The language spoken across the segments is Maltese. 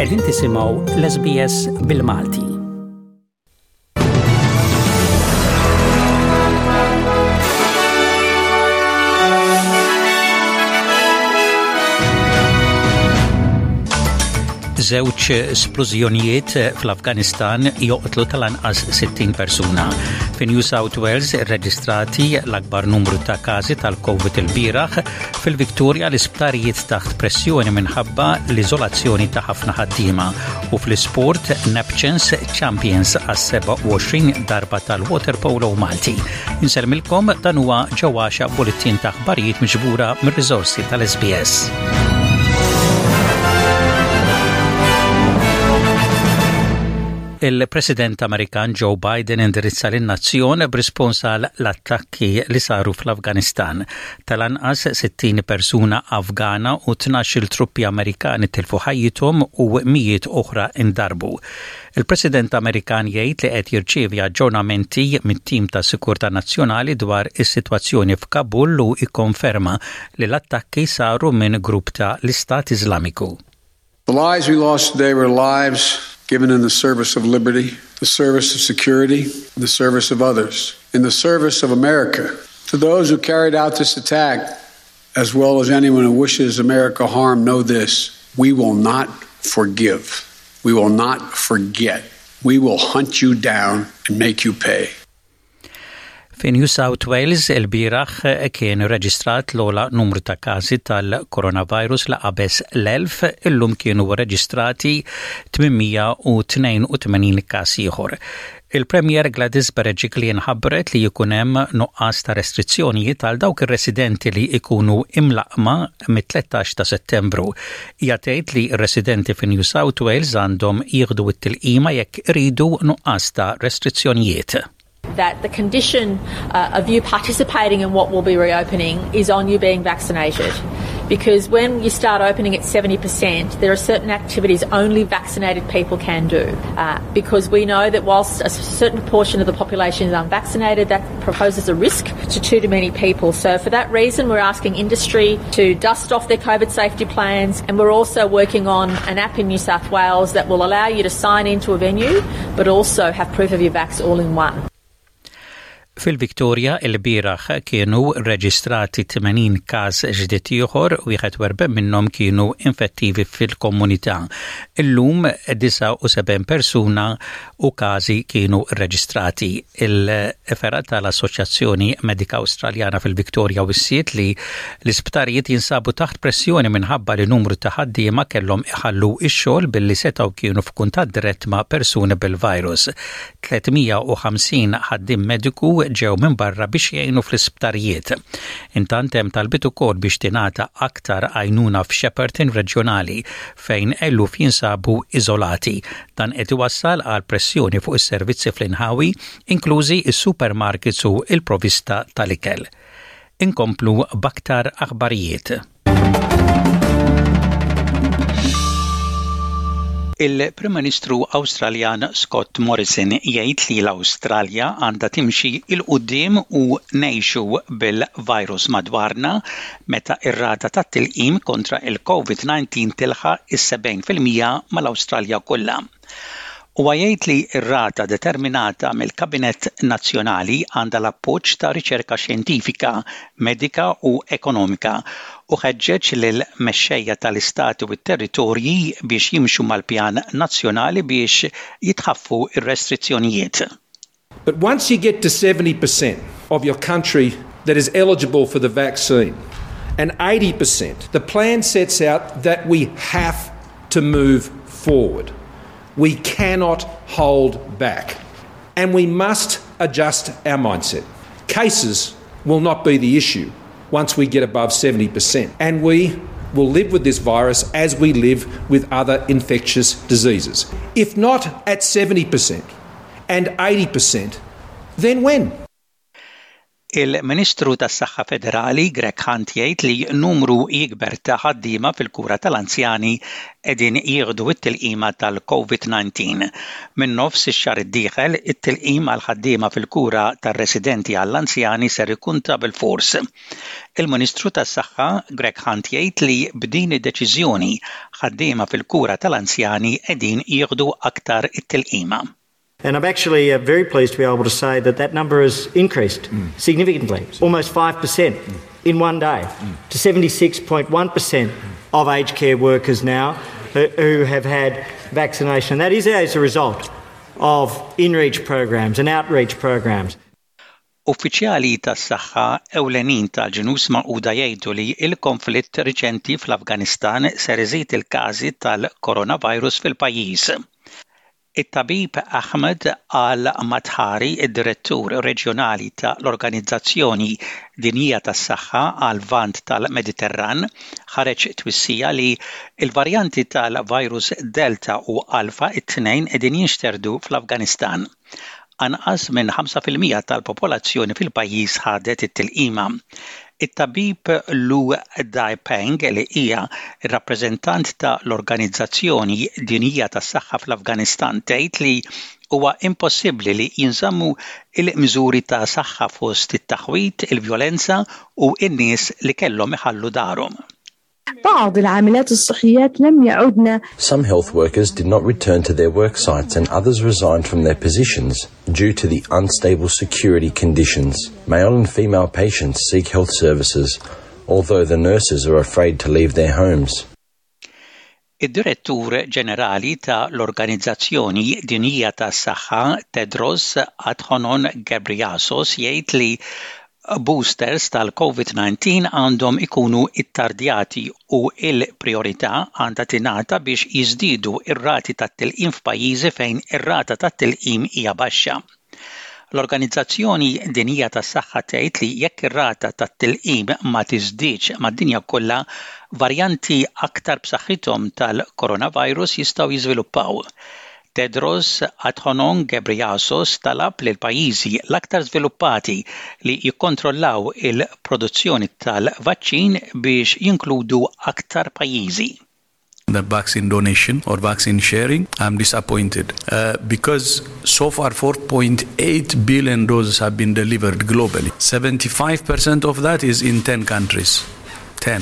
Qegħdin tisimgħu l-SBS bil-Malti. Żewġ splużjonijiet fl-Afganistan joqtlu tal-anqas 60 persuna. Fi New South Wales irreġistrati l-akbar numru ta' każi tal-COVID il-bieraħ Fil-Victoria l-isptarijiet taħt pressjoni minħabba l-iżolazzjoni ta' ħafna ħaddiema u fl-isport Neptunes Champions għas-27 darba tal-waterpolo Malti. Insellmilkom dan huwa ġewwaxa bulletin ta' aħbarijiet miġbura mir-riżorsi tal-SBS. Il-President Amerikan Joe Biden indirizza lin-nazzjon b'rispons għal l-attakki li saru fl-Afganistan. Tal-anqas 60 persuna Afgana u 12-il truppi Amerikani tilfu ħajjithom u mijiet oħra ndarbu. Il-President Amerikan jgħid li qed jirċievi aġġornamenti mit-tim ta' sikurtà nazzjonali dwar is-sitwazzjoni f'Kabul u ikkonferma li l-attakki saru minn grupp ta' l-Istat Iżlamiku. The lives we lost today were lives given in the service of liberty, the service of security, the service of others, in the service of America. To those who carried out this attack, as well as anyone who wishes America harm, know this we will not forgive. We will not forget. We will hunt you down and make you pay. Fi New South Wales ilbieraħ kien reġistrat l-ogħla numru ta' każi tal-coronavirus li qabeż l-1000, illum kienu reġistrati 882 każ ieħor. Il-Premier Gladys Berejiklian ħabbret li jkun hemm nuqqas ta' restrizzjonijiet għal dawk ir-residenti li jkunu imlaqqma mit-13 ta' Settembru. Hija tgħid li r-residenti fi New South Wales għandhom jieħdu t-tilqima jekk iridu nuqqas ta' restrizzjonijiet. That the condition uh, of you participating in what will be reopening is on you being vaccinated. Because when you start opening at 70%, there are certain activities only vaccinated people can do. Uh, because we know that whilst a certain proportion of the population is unvaccinated, that proposes a risk to too many people. So for that reason, we're asking industry to dust off their COVID safety plans, and we're also working on an app in New South Wales that will allow you to sign into a venue, but also have proof of your vax all in one. Fil-Victoria il-bieraħ kienu reġistrati 80 każ ġdid ieħor, 41 minnhom kienu infettivi fil-komunità. Illum 79 persuna u każi kienu rreġistrati. Il-fergħa tal-Assoċjazzjoni Medika Awstraljana fil-Victoria wissiet li l-isptarijiet jinsabu taħt pressjoni minħabba li numru ta' ħaddiema kellhom iħallu x-xogħol billi setgħu kienu f'kuntatt dirett ma' persuni bil-virus. 350 ħaddiem mediku ġew minn barra biex jgħinu fl-isptarijiet. Intant hemm talbiet ukoll biex tingħata aktar għajnuna f'Shepparton reġjonali fejn eluf jinsabu iżolati. Dan qed iwassal għal pressjoni fuq is-servizzi fl-inħawi, inklużi s-supermarkets u l-provista tal-ikel. Inkomplu b'aktar aħbarijiet. Il-Prim Ministru Awstraljan Scott Morrison jgħid li l-Awstralja għandha timxi 'l quddiem u ngħixu bil-virus madwarna meta r-rata tat-tilqim kontra il-COVID-19 tilħaq is-70% mal-Awstralja kollha. Huwa jgħid li r-rata determinata mill-Kabinett Nazzjonali għandha l-appoġġ ta' riċerka xjentifika, medika u ekonomika u ħeġġeġ lill-mexxejja tal-istati u t-territorji biex jimxu mal-pjan nazzjonali biex jitħaffu r-restrizzjonijiet. But once you get to 70% of your country that is eligible for the vaccine and 80%, the plan sets out that we have to move forward. We cannot hold back. And we must adjust our mindset. Cases will not be the issue once we get above 70%. And we will live with this virus as we live with other infectious diseases. If not at 70%, and 80%, then when? Il-Ministru tas-Saħħa Federali Greg Hunt jgħid li numru jikber ta' ħaddiema fil-kura tal-anzjani qegħdin jieħdu t-tilqima tal-COVID-19. Minn nofs ix-xahar id-dieħel, it-tilqim għall-ħaddiema fil-kura tar-residenti għall-anzjani ser ikun ta' bilfors. Il-Ministru tas-Saħħa Greg Hunt jgħid li b'din id-deċiżjoni, ħaddiema fil-kura tal-anzjani qegħdin jieħdu aktar it-tilqima. And I'm actually uh, very pleased to be able to say that that number has increased mm. significantly, almost 5% mm. in one day, mm. to 76.1% of aged care workers now who have had vaccination. And that is as a result of in-reach programs and outreach programs. Uffiċjali tas-saħħa ewlenin tal-Ġnus Magħquda jgħidu li l-konflitt riċenti fl-Afganistan ser iżid il-każi tal-coronavirus fil-pajjiż. It-tabib Ahmed Al-Mathari, id-Direttur Reġjonali ta' l-Organizzazzjoni Dinjija tas-Saħħa għal-Lvant tal-Mediterran, ħareġ twissija li l-varjanti tal-virus Delta u Alpha it-tnejn qegħdin jinxterdu fl-Afganistan. Anqas minn 5% tal-popolazzjoni fil-pajjiż ħadet it-tilqima. It-tabib Lu Daipeng li hija r-rappreżentant ta' l-Organizzazzjoni Dinjija tas-Saħħa fl-Afganistan tgħid li huwa impossibbli li jinżammu l-miżuri ta' saħħa fost it-taħwid, il-vjolenza u n-nies li kellhom iħallu darhom. بعض العاملات الصحيات لم يعدن Some health workers did not return to their work sites and others resigned from their positions due to the unstable security conditions. Male and female patients seek health services, although the nurses are afraid to leave their homes. Id-Direttur Ġenerali ta' l-Organizzazzjoni Dinjija tas-Saħħa Tedros Adhanom Ghebreyesus jgħid li boosters tal-Covid-19 għandhom ikunu ttardjati u l-prijorità għandha tingħata biex jiżdiedu r-rati tat-tilqim f'pajjiżi fejn ir-rata tat-tilqim hija baxxa. L-Organizzazzjoni Dinjija tas-Saħħa tgħid li jekk ir-rata tat-tilqim ma tiżdiedx mad-dinja kollha, varjanti aktar b'saħħithom tal-coronavirus jistgħu jiżviluppaw. Tedros Adhanom Ghebreyesus talab lill-pajjiżi l-aktar żviluppati li jikkontrollaw il-produzzjoni tal-vaċċin biex jinkludu aktar pajjiżi. The vaccine donation or vaccine sharing, I'm disappointed uh, because so far 4.8 billion doses have been delivered globally. 75% of that is in 10 countries. 10.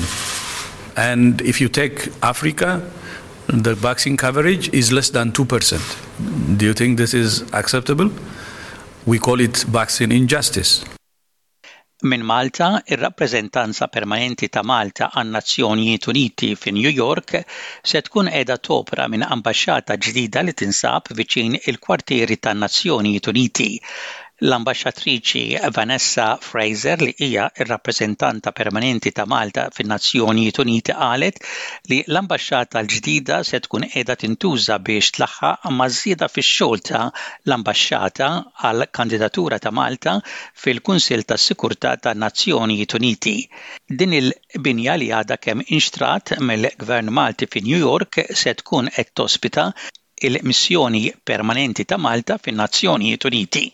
And if you take Africa, the vaccine coverage is less than 2%. Do you think this is acceptable? We call it vaccine injustice. Minn Malta, ir-Rappreżentanza Permanenti ta' Malta għan-Nazzjonijiet Uniti fi New York se tkun qiegħda topra minn ambaxxata ġdida li tinsab viċin il-kwartieri tan-Nazzjonijiet Uniti. L-Ambaxxatriċi Vanessa Fraser li hija r-Rappreżentanta Permanenti ta' Malta fin-Nazzjonijiet Uniti qalet li l-ambaxxata l-ġdida se tkun qiegħda tintuża biex tlaħħaq maż-żieda fix-xogħol ta' l-ambaxxata għall-kandidatura ta' Malta fil-Kunsill tas-Sikurtà tan-Nazzjonijiet Uniti. Din il-binja li għadha kemm inxtrat mill-Gvern Malti fi New York se tkun qed tospita il-Missjoni Permanenti ta' Malta fin-Nazzjonijiet Uniti.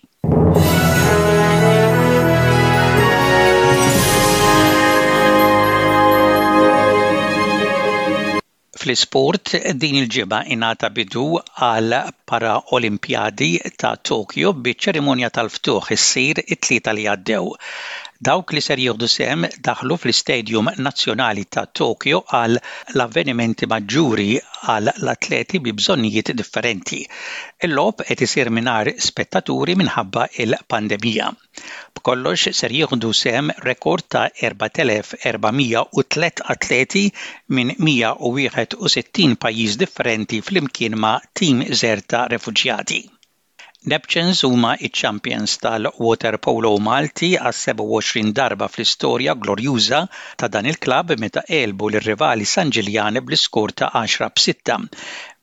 Fl-isport, din il-ġimgħa ingħata bidu għal Para-Olimpjadi ta' Tokyo biċ-ċerimonja tal-ftuħ issir it-Tlieta li għaddew. Dawk li ser jieħdu sehem daħlu fl-Istadium Nazzjonali ta' Tokyo għal l-avvenimenti maġġuri għal l-atleti bi bżonnijiet differenti. Il-logħob qed isir mingħajr spettaturi minħabba l-pandemija. B'kollox ser jieħdu sehem rekord ta' 4,403 atleti minn 161 pajjiż differenti flimkien ma' tim żgħir ta' refuġjati. Neptunes huma ċ-champions tal-waterpolo Malti għas-27 darba fl-istorja glorjuża ta' dan il-klabb meta għelbu lir-rivali San Ġiljan bl-iskor ta' għaxra b'sitta.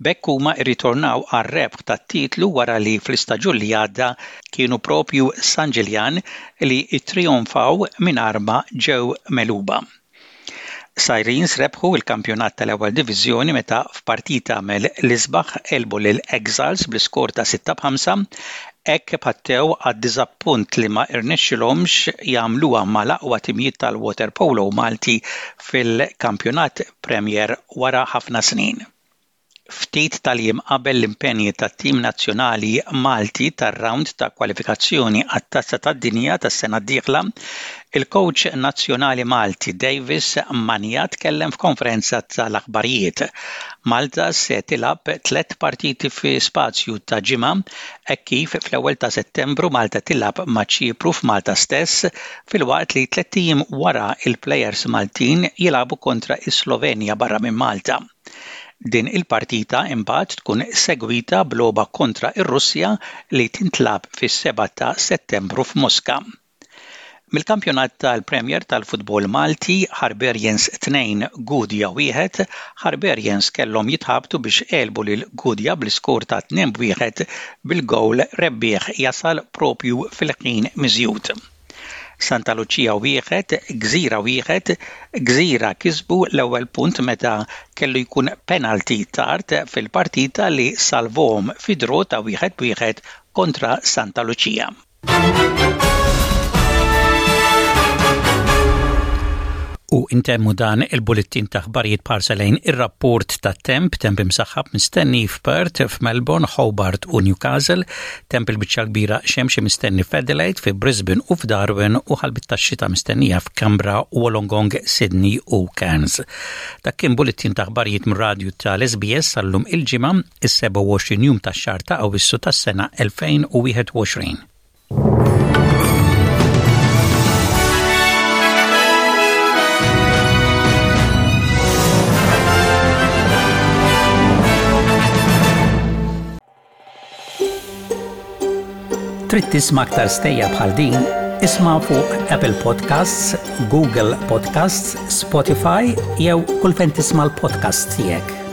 B'hekk huma rritornaw għar-rebħ tat-titlu wara li fl-istaġun li għadda Kienu proprju San Ġiljan li ttrijonfaw mingħajr ma ġew megħluba. Sirens rebħu l-kampjonat tal-Ewwel Diviżjoni meta f'partita mill-isbaħ għelbu lil Exiles bl-iskor ta' 6 b'ħamsa. Hekk pattew għad-diżappunt li ma rnexxilhomx jagħmluha mal-aqwa timijiet tal-waterpolo Malti fil-Kampjonat Premier wara ħafna snin. Ftit tal-jiem qabel l-impenji tat-tim nazzjonali Malti tar-rawnd ta' kwalifikazzjoni għat-Tazza tad-Dinja tas-sena d-dieħla, il-kowċ nazzjonali Malti Davis Mania tkellem f'konferenza tal-aħbarijiet. Malta se tilgħab tlett partiti fi spazju ta' ġimgħa hekk kif fl-ewwel ta' Settembru Malta tilgħab ma' Ċipru f'Malta stess filwaqt li tlett ijiem wara l-plejers Maltin jilagħbu kontra s-Slovenja barra minn Malta. Din il-partita imbagħad tkun segwita b'logħba kontra r-Russja li tintlagħab fis-7 ta' Settembru f'Moska. Mill-kampjonat tal-Premier tal-futbol Malti, Harbarians 2 Gudja 1, Harbarians kellhom jitħabtu biex għelbu lil Gudja bl-iskor ta' 2 b'wieħed bil-gowl rebbieħ jasal propju fil-ħin miżjud. Santa Lucia wieħed, Gżira wieħed, Gżira kisbu l-ewwel punt meta kellu jkun penalty tard fil-partita li salvahom fi draw ta' wieħed b'wieħed kontra Santa Lucia. U intemmu dan il-bullettin ta' aħbarijiet b'ħarsa lejn ir-rapport tat-temp, temp imsaħħab mistenni f'Perth, f'Melbourne, Hobart u Newcastle, Temp il-biċċa l-kbira xemxi mistenni f'Adelaide, fi Brisbane u f'Darwin u ħalbiet tax-xita mistennija f'Canberra, Wollongong, Sydney u Cairns. Dak kien bullettin ta' aħbarijiet mir-radju tal-SBS sal-lum il-Ġimgħa, is-27 jum tax-xahar ta' Awwissu tas-sena 2021. Trid tisma' aktar stejjer bħal din? Isma' fuq Apple Podcasts, Google Podcasts, Spotify jew kull fejn tisma' l-podcasts tiegħek.